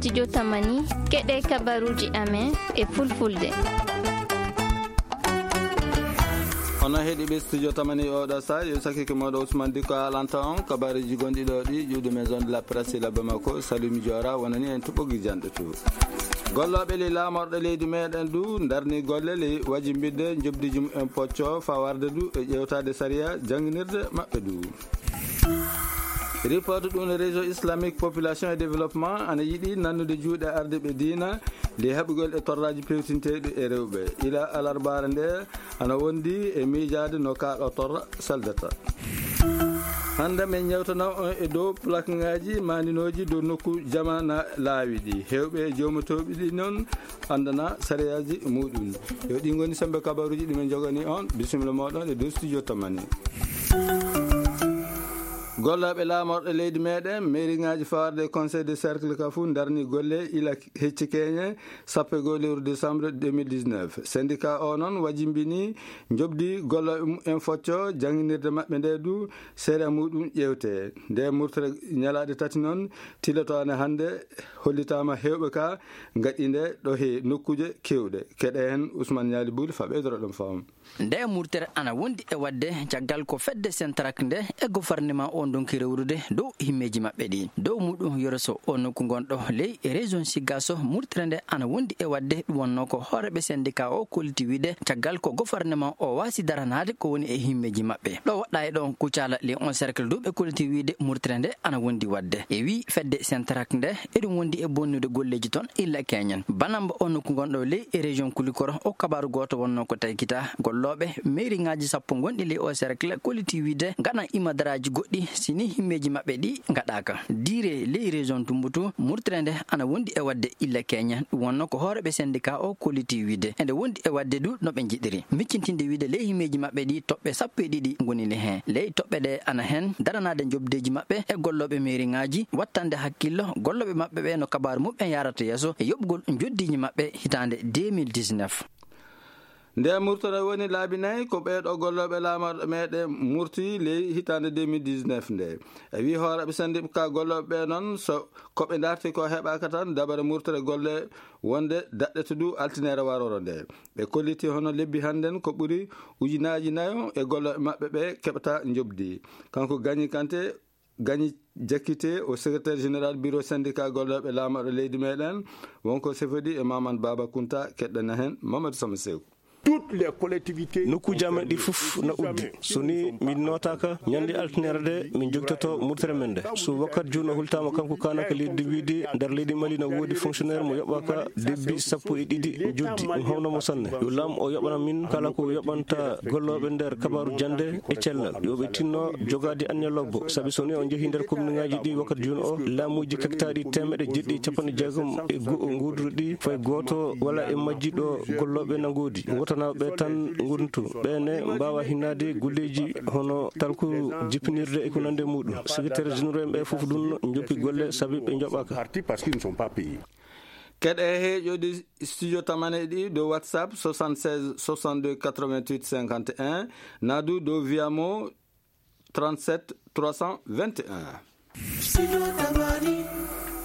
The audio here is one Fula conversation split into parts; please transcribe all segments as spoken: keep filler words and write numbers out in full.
Studio Tamani, keɗe kabaruji amen e fulfulde. Onon heɗiɓe Studio Tamani oɗo sa, yo sakike moɗo Ousmane Diko alanta on kabaruji gonɗi ɗo ɗi, ƴuwde maison de la presse la Bamako, Salimi Diora, wonani en tuɓɓogi janɗe to. Gollooɓe ley laamorɗe leydi meɗen du ndarni golle ley wajimbinde njoɓdiji mum en pocco fawarde du e ƴewtade sariya jannginirde maɓɓe du. Report ɗum réseau islamique population et développement ana yiɗi nannude juuɗe ardiɓe diina ley haɓugol e torraji pewtinteɗi e rewɓe. Ila alarbaare nde ana wondi e miijaade no ka ɗo torra saldata. Hannde min ñewtana on e dow plaqueŋaaji maaninooji dow nokku jama na laawi ɗi. Heewɓe e joomotooɓe ɗi noon anndana sariyaaji muɗum. Yo ɗi ngoni sembe kabaruuji ɗi min jogani on. Bisimilla mooɗon e dow studio Tamani. Gollooɓe laamorɗe leydi meɗen, meeriŋaaji fawarde e conseil de cercle ka fuu ndarni golle ila hecci keñe sappo e goho lewru décembre deux mille dix-neuf. Syndicat o noon wajimbini njoɓdi gollooɓe mumen focco jannginirde maɓɓe nde du seeɗa muɗum ƴeewte. Nde murtere ñalaaɗe tati noon tilotoone hannde hollitaama heewɓe ka ngaɗi nde ɗo he nokkuuje keewɗe. Keɗe heen Ousmane Ñaali Buuli fa ɓeydoro ɗum faamu. Nde murtere ana wondi e waɗde caggal ko fedde Sentrak nde e gouvernement o ndonki rewrude dow himmeeji maɓɓe ɗi. Dow muɗum Yoro Sow o nokku gonɗo ley région Sigaso, murtere nde ana wondi e waɗde ɗum wonno ko hooreɓe syndicat o kolliti wiide caggal ko gouvernement o waasi daranaade ko woni e himmeeji maɓɓe. Ɗo waɗɗa e ɗon Kucala ley on cercle du ɓe kolliti wiide murtere nde ana wondi waɗde. E wi fedde Sentrak nde eɗum wondi e bonnude golleeji toon illa keñen. Banamba o nokku gonɗo ley e région Kulikoro o kabaru gooto wonno ko taykita gollooɓe meeriŋaaji sappo gonɗi ley o cercle kolliti wiide ngaɗan imadaraaji goɗɗi si ni himmeeji maɓɓe ɗi ngaɗaaka. Diire ley région Tumbutu murtere nde ana wondi e waɗde illa keñen. Ɗum wonno ko hooreɓe syndicat o kolliti wiide ende wondi e waɗde du no ɓe njiɗiri. Miccintinde wiide ley himmeeji maɓɓe ɗi toɓɓe sappo e ɗiɗi ngoni le heen. Ley toɓɓe ɗe ana heen daranaade njoɓdeeji maɓɓe e gollooɓe meeriŋaaji, wattande hakkillo gollooɓe maɓɓe ɓe no kabaaru muɓɓen yaarata yeeso e yoɓgol njoɓdiiji maɓɓe hitaande deux mille dix-neuf. Nde murtere woni laabi nayi ko ɓee ɗo gollooɓe laamorɗe meɗen murti ley hitaande deux mille dix-neuf nde. E wi hooreɓe syndicat gollooɓe ɓe noon so ko ɓe darti ko heɓaaka tan dabare murtere golle wonde daɗɗete du altineere waroro nde. Ɓe kolliti hono lebbi hannden ko ɓuri ujunaaji nayo e gollooɓe maɓɓe ɓe keɓata njoɓdi. Kanko Gagny Kanté, Gagny Diakité o secrétaire général bureau syndicat gollooɓe laamorɗe leydi meɗen, wonko sefodi e Mamadou Baba Kounta, keɗɗana heen Mamadou Sama Sew. Toutes les collectivités. Nokkuuji amen ɗi fof na uddi. So ni min nootaaka, ñande altine nde min jogtoto murtere men nde. So wakkat juuno hultaama kanko kaanaka leydi wiide nder leydi Mali na woodi fonctionnaire mo yoɓaaka debbi sappo e ɗiɗi joddi. Ɗum hawna mo sanne. Yo laam o yoɓana min kala ko yoɓanta gollooɓe nder kabaaru jannde e cellal. Yo ɓe tinno jogaade anniya lobbo. Sabi so ni on njehi nder komniŋaaji ɗi wakkat juuno o, laamuuji kektaaɗi teemeɗe jeɗɗi e capanɗe jeegom e go'o nguurduɗi fay gooto wala e majji ɗo gollooɓe na ngoodi. Wotanaaɓe ɓe tan ngontu. Ɓe ne mbaawa hinnaade golleeji hono talku jippinirde e ko nande muɗum. Secrétaire généraux en ɓe fof ɗum njoppi golle sabi ɓe njoɓaaka. Parti parce qu'ils ne sont pas payés. Keɗe he ƴoodi studio Tamane ɗi dow WhatsApp soixante-seize soixante-deux quatre-vingt-huit cinquante et un, nadu dow Viamo trente-sept trois cent vingt et un.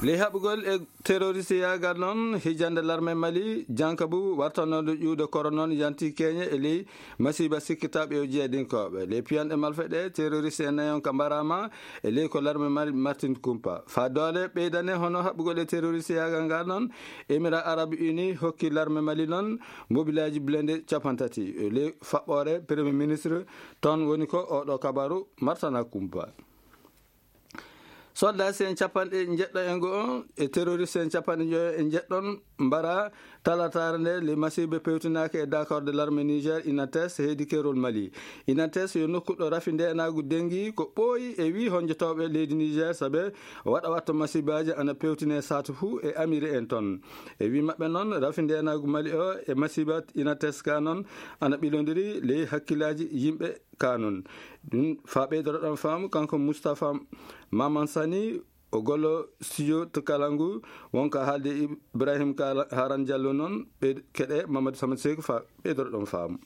Ley haɓugol e terroriste yaagal noon, hijande larme Mali, jankabu wartanooɗo ƴuwde koro noon yanti keñe e ley masiiba sikkitaaɓe yo jeedinkooɓe. Ley piyanɗe malfeɗe, terroriste e nayon ka mbaraama e ley ko larme Mali Martin Kumpa. Faa doole ɓeydane hono haɓugol e terroriste yaagal ngal noon, Émirats Arabes Unis hokki larme Mali noon mobilaaji blende capantati. E ley faɓɓoore Premier Ministre toon woni ko oɗo kabaru Martana Kumpa. Soldat si en capanɗe njeɗɗo e go'o e terroriste en capanɗe njoyo e njeɗɗon mbara talataare nde le masiiɓe pewtinaaka e d'accord de l'armée Niger Inates heedi kerol Mali. Inates yo nokku ɗo rafi ndenaagu dengi ko ɓooyi e wi honjotooɓe leydi Niger sabe waɗa watta masiibaaji ana pewtine saatu fuu e amiri en ton. E wi maɓɓe noon rafi ndenaagu Mali o e masiiba Inates ka noon ana ɓilondiri ley hakkilaaji yimɓe ka noon. Ɗum faa ɓeydoro ɗon faamu kanko Moustapha Maman Sani o gollo studio to kala ngu wonka haalde Ibrahim Kala Haran Diallo noon ɓe keɗe Mamadou Samad Sekou faa ɓeydoro ɗon faamu.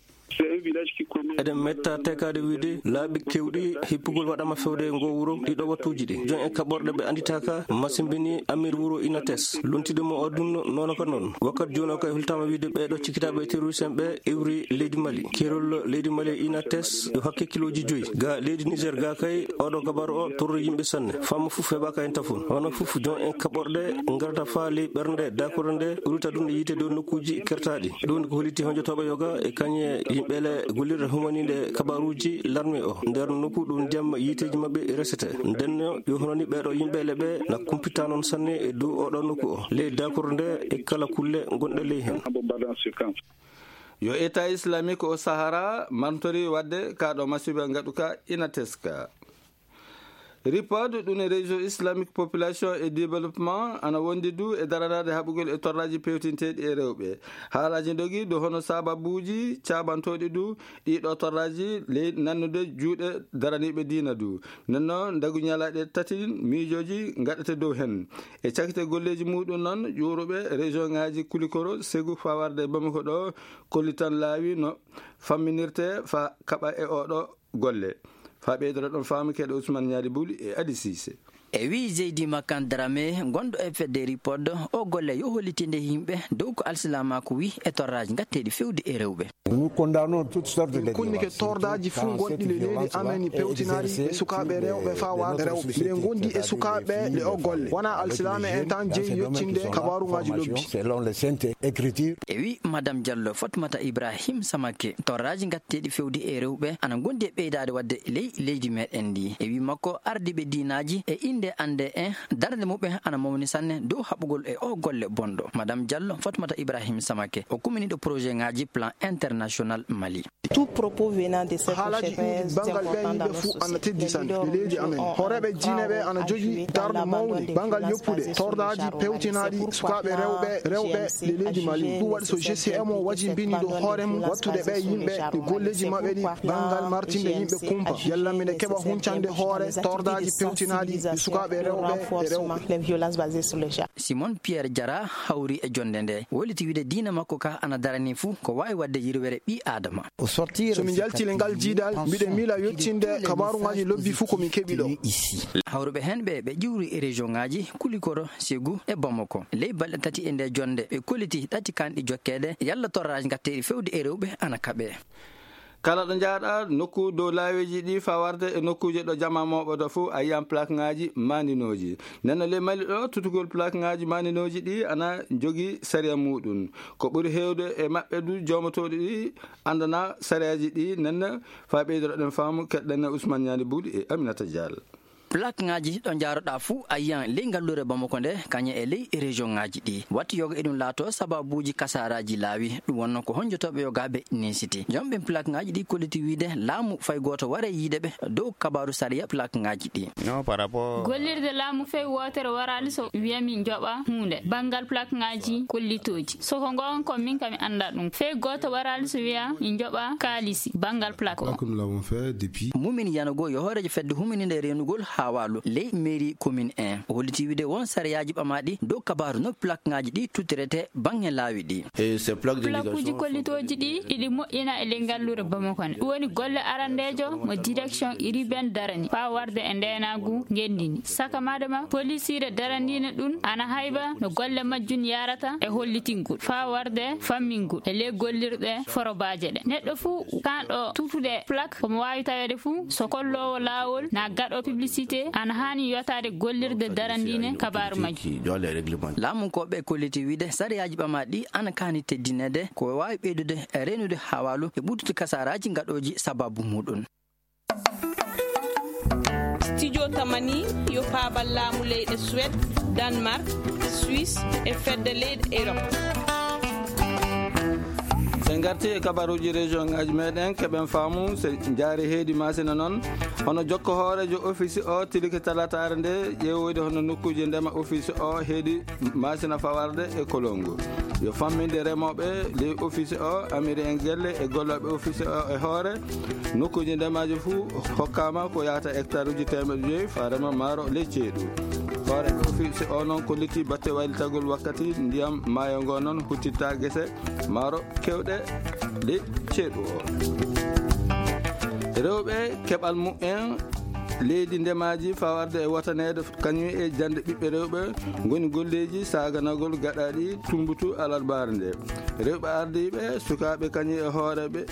Eɗen metta tekaade wiyde laabi keewɗi hippugol waɗama fewde ngo wuro ɗiɗo wattuuji ɗi. Jon e kaɓorɗe ɓe annditaaka masimbini amir wuro Inates. Luntide mo o ɗum noon ka noon. Wakkati jooni o kay hultaama wiyde ɓeeɗo cikkitaaɓe terroriste en ɓe iwri leydi Mali. Keerol leydi Mali e Inates yo hakke kilooji joyi. Ga leydi Niger ga kay oɗo kabar o torri yimɓe sanne. Famma fof heɓaka hen tafon. Hono fof jon en kaɓorɗe ngarata faa ley ɓernde dakoro nde urita ɗum e yiite dow nokkuuji kertaaɗi. Ɗum ko holliti honjotooɓe yoga e kañe yimɓe le gollirde humaninde kabaruuji larme o. Nder nokku ɗum ndiyam yiiteeji maɓɓe resete. Ndenno yo hono ni ɓeeɗo yimɓe le ɓe na kumpita noon sanne e dow oɗo nokku o. Ley dakoro nde e kala kulle gonɗe ley hen. Yo État islamique o Sahara mantori wadde ka ɗo masiba ngaɗuka Inateska. Report ɗum e réseau islamique population et développement ana wondi du e daranaade haɓugol e torraji pewtinteeɗi e rewɓe. Haalaji dogi do hono sababuji cabantoɗi du ɗiɗo torraji ley nannude juuɗe daraniiɓe diina du. Nenno ndagu ñalaɗe tati miijoji ngaɗete dow hen. E cakite golleji muɗum noon ƴuuruɓe région ngaji Kulikoro, Segu, fawarde Bamako ɗo kollitan laawi no famminirte fa kaɓa e oɗo golle. Fa ɓeydoro ɗon faamu keɗe Ousmane Ñaali Buli e Adi Sise. E wi Zeydi Makan Dramé, gonɗo e fedde Ripod, o golle yo hollitinde yimɓe dow ko alsilamaaku wi e torraaji ngatteeɗi fewde e rewɓe. Min kunnike tordaaji fuu gonɗi le leydi amen ni pewtinaɗi e sukaaɓe rewɓe faa warde rewɓe. Miɗen gondi e sukaaɓe le o golle. Wona alsilaame en tan jeyi yottinde kabaaruŋaaji lobbi. E wi Madame Diallo Fatmata Ibrahim Samake, torraaji ngatteeɗi fewde e rewɓe ana gondi e ɓeydaade wadde ley leydi meɗen ndi. E wi makko, ardiiɓe diinaaji e innde annde en darnde muɓɓen ana mawni sanne dow haɓugol e o golle bonɗo. Madame Diallo Fatmata Ibrahim Samake, o kuminiɗo projet ŋaaji plan international Mali. Tout propos venant de cette haalaji ɗiɗi bangal ɓe yimɓe fuu ana teddi sanne e leydi amen. Hooreeɓe diine ɓe ana jogii darnde mawnde bangal yoppude tordaaji pewtinaaɗi sukaaɓe rewɓe rewɓe le leydi Mali. Ɗum waɗi so G C M o wajimbini dow hoore mum wattude ɓe yimɓe e golleeji maɓɓe ɗi bangal martinde yimɓe kumpa. Yalla mine keɓa huncande hoore tordaaji pewtinaaɗi e sukaaɓe rewɓe e rewɓe. Simon Pierre Diarra hawri e jonde nde, wolliti wiide diina makko ka ana darani fuu ko waawi waɗde yirwere ɓii Aadama. So min njalti le ngal jiidal, mbiɗen miila yottinde kabaaruŋaaji lobbi fuu ko min keɓi ɗo. Hawruɓe heen ɓe, ɓe ƴiwri e région ŋaaji Kulikoro, Segu e Bamako. Ley balɗe tati e nde jonde, ɓe kolliti ɗati kanɗi jokkeede, yalla torraaji ngatteeɗi fewde e rewɓe ana kaɓe. Kala ɗo njaaɗa nokku dow laaweeji ɗi fawarde e nokkuuje ɗo jama mooɓoto fuu a yiyan plakŋaaji maandinooji. Nden no ley Mali ɗo tutugol plakŋaaji maandinooji ɗi ana jogii sariya muuɗum. Ko ɓuri heewde e maɓɓe du joomotooɗi ɗi anndana sariyaaji ɗi. Nden no faa ɓeydoro ɗen faamu keɗɗen e Ousmane Ñaani Buuɗi e Aminata Diallo. Plakŋaaji ɗo njaaroɗaa fuu a yiyan ley ngalluure Bamako nde kañe e ley région ŋaaji ɗi. Watti yoga eɗum laato sababuuji kasaaraaji laawi. Ɗum wonno ko honjotooɓe yogaaɓe ninsiti. Jomɓe plakŋaaji ɗi kolliti wiide laamu fay gooto ware yiide ɓe dow kabaaru sariya plakŋaaji ɗi. Gollirde laamu fay wootere waraali so wiya min njoɓa huunde. Banngal plakŋaaji kollitooji. So ko ngoon kon min kam mi annda ɗum. Fay gooto waraali so wiya min njoɓa kaalisi banngal plak o. Mumin Yanogo yo hooreejo fedde humininde reenugol haawaalu ley mairie commune un. O holliti wiide won sariyaaji ɓamaaɗi dow kabaaru no plakŋaaji ɗi tuttirete baŋŋe laawi ɗi. Plakuuji kollitooji ɗi iɗi moƴƴina e ley ngalluure Bamako ne. Ɗum woni golle arandeejo mo direction urbaine darani faa warde e ndeenaagu ngenndi ndi. Saka madama polisiire daraniine ɗum ana hayba no golle majjum yaarata e hollitingol faa warde fammingol e ley gollirɗe forobaaje ɗe. Neɗɗo fuu kanɗo tutude plak komo waawi taweede fuu so kolloowo laawol na gaɗo publicité ana haani yotaade gollirde daraniine kabaaru majjum. Laamunkooɓe kolliti wiide sariyaaji ɓamaaɗi ana kaani teddineede ko waawi ɓeydude e reenude haawaalu e ɓuttude kasaaraaji gaɗooji sababu muuɗum. Studio Tamani yo paabal laamu leyɗe Suède, Danemark, Suisse e fedde leyɗe Europe. En ngarti e kabaruuji région ngaji meɗen keɓen faamu se njaari heedi Masina noon. Hono jokko hooreejo office o tilike talataare nde ƴeewoyde hono nokkuuji ndema office o heedi Masina fawarde e Kolongo. Yo famminde remooɓe ley office o, amiri en gelle e gollooɓe office o e hoore. Nokkuuji ndemaaji fuu hokkaama ko yahata hectare uji teemeɗe joyi faa rema maaro ley ceeɗu. Hoore ɗo fi si o noon ko litti batte waylitagol wakkati ndiyam maayo ngo noon huttita gese maaro kewɗe de ceeɗu o. Rewɓe keɓal mumen leydi ndemaaji fawarde e wataneede kañum e jande ɓiɓɓe rewɓe ngoni golleeji saganagol gaɗaɗi tumbutu alarbaare nde. Rewɓe ardiiɓe sukaaɓe kañum e hooreɓe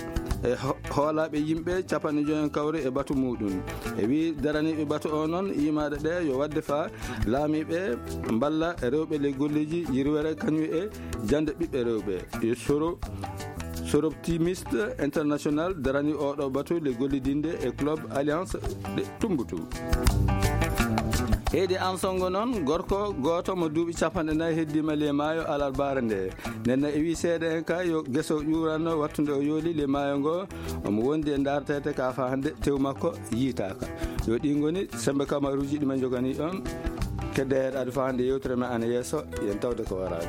e ho- hoolaaɓe yimɓe capanɗe joyi kawri e batu muɗum. E wi daraniiɓe batu o noon yimaade ɗe yo wadde fa laamiiɓe mballa rewɓe le golleeji yirwere kañum e jande ɓiɓɓe rewɓe e soro soroptimiste international darani oɗo batu le gollidinde e club alliance de tumbutu. Heydi ansongo noon gorko gooto mo duuɓi capanɗe nayi heddima le maayo alarbaare nde. Nenna e wi seeɗa en ka yo geso ƴuranno wattude o yooli le maayo ngo omo wondi e dartete ka fa hande tew makko yiitaka. Yo ɗi ngoni sembe kamaruji ɗi men jogani on. Kedde heɗaade fa hande yewtere men ana yeeso yen tawde ko waraade.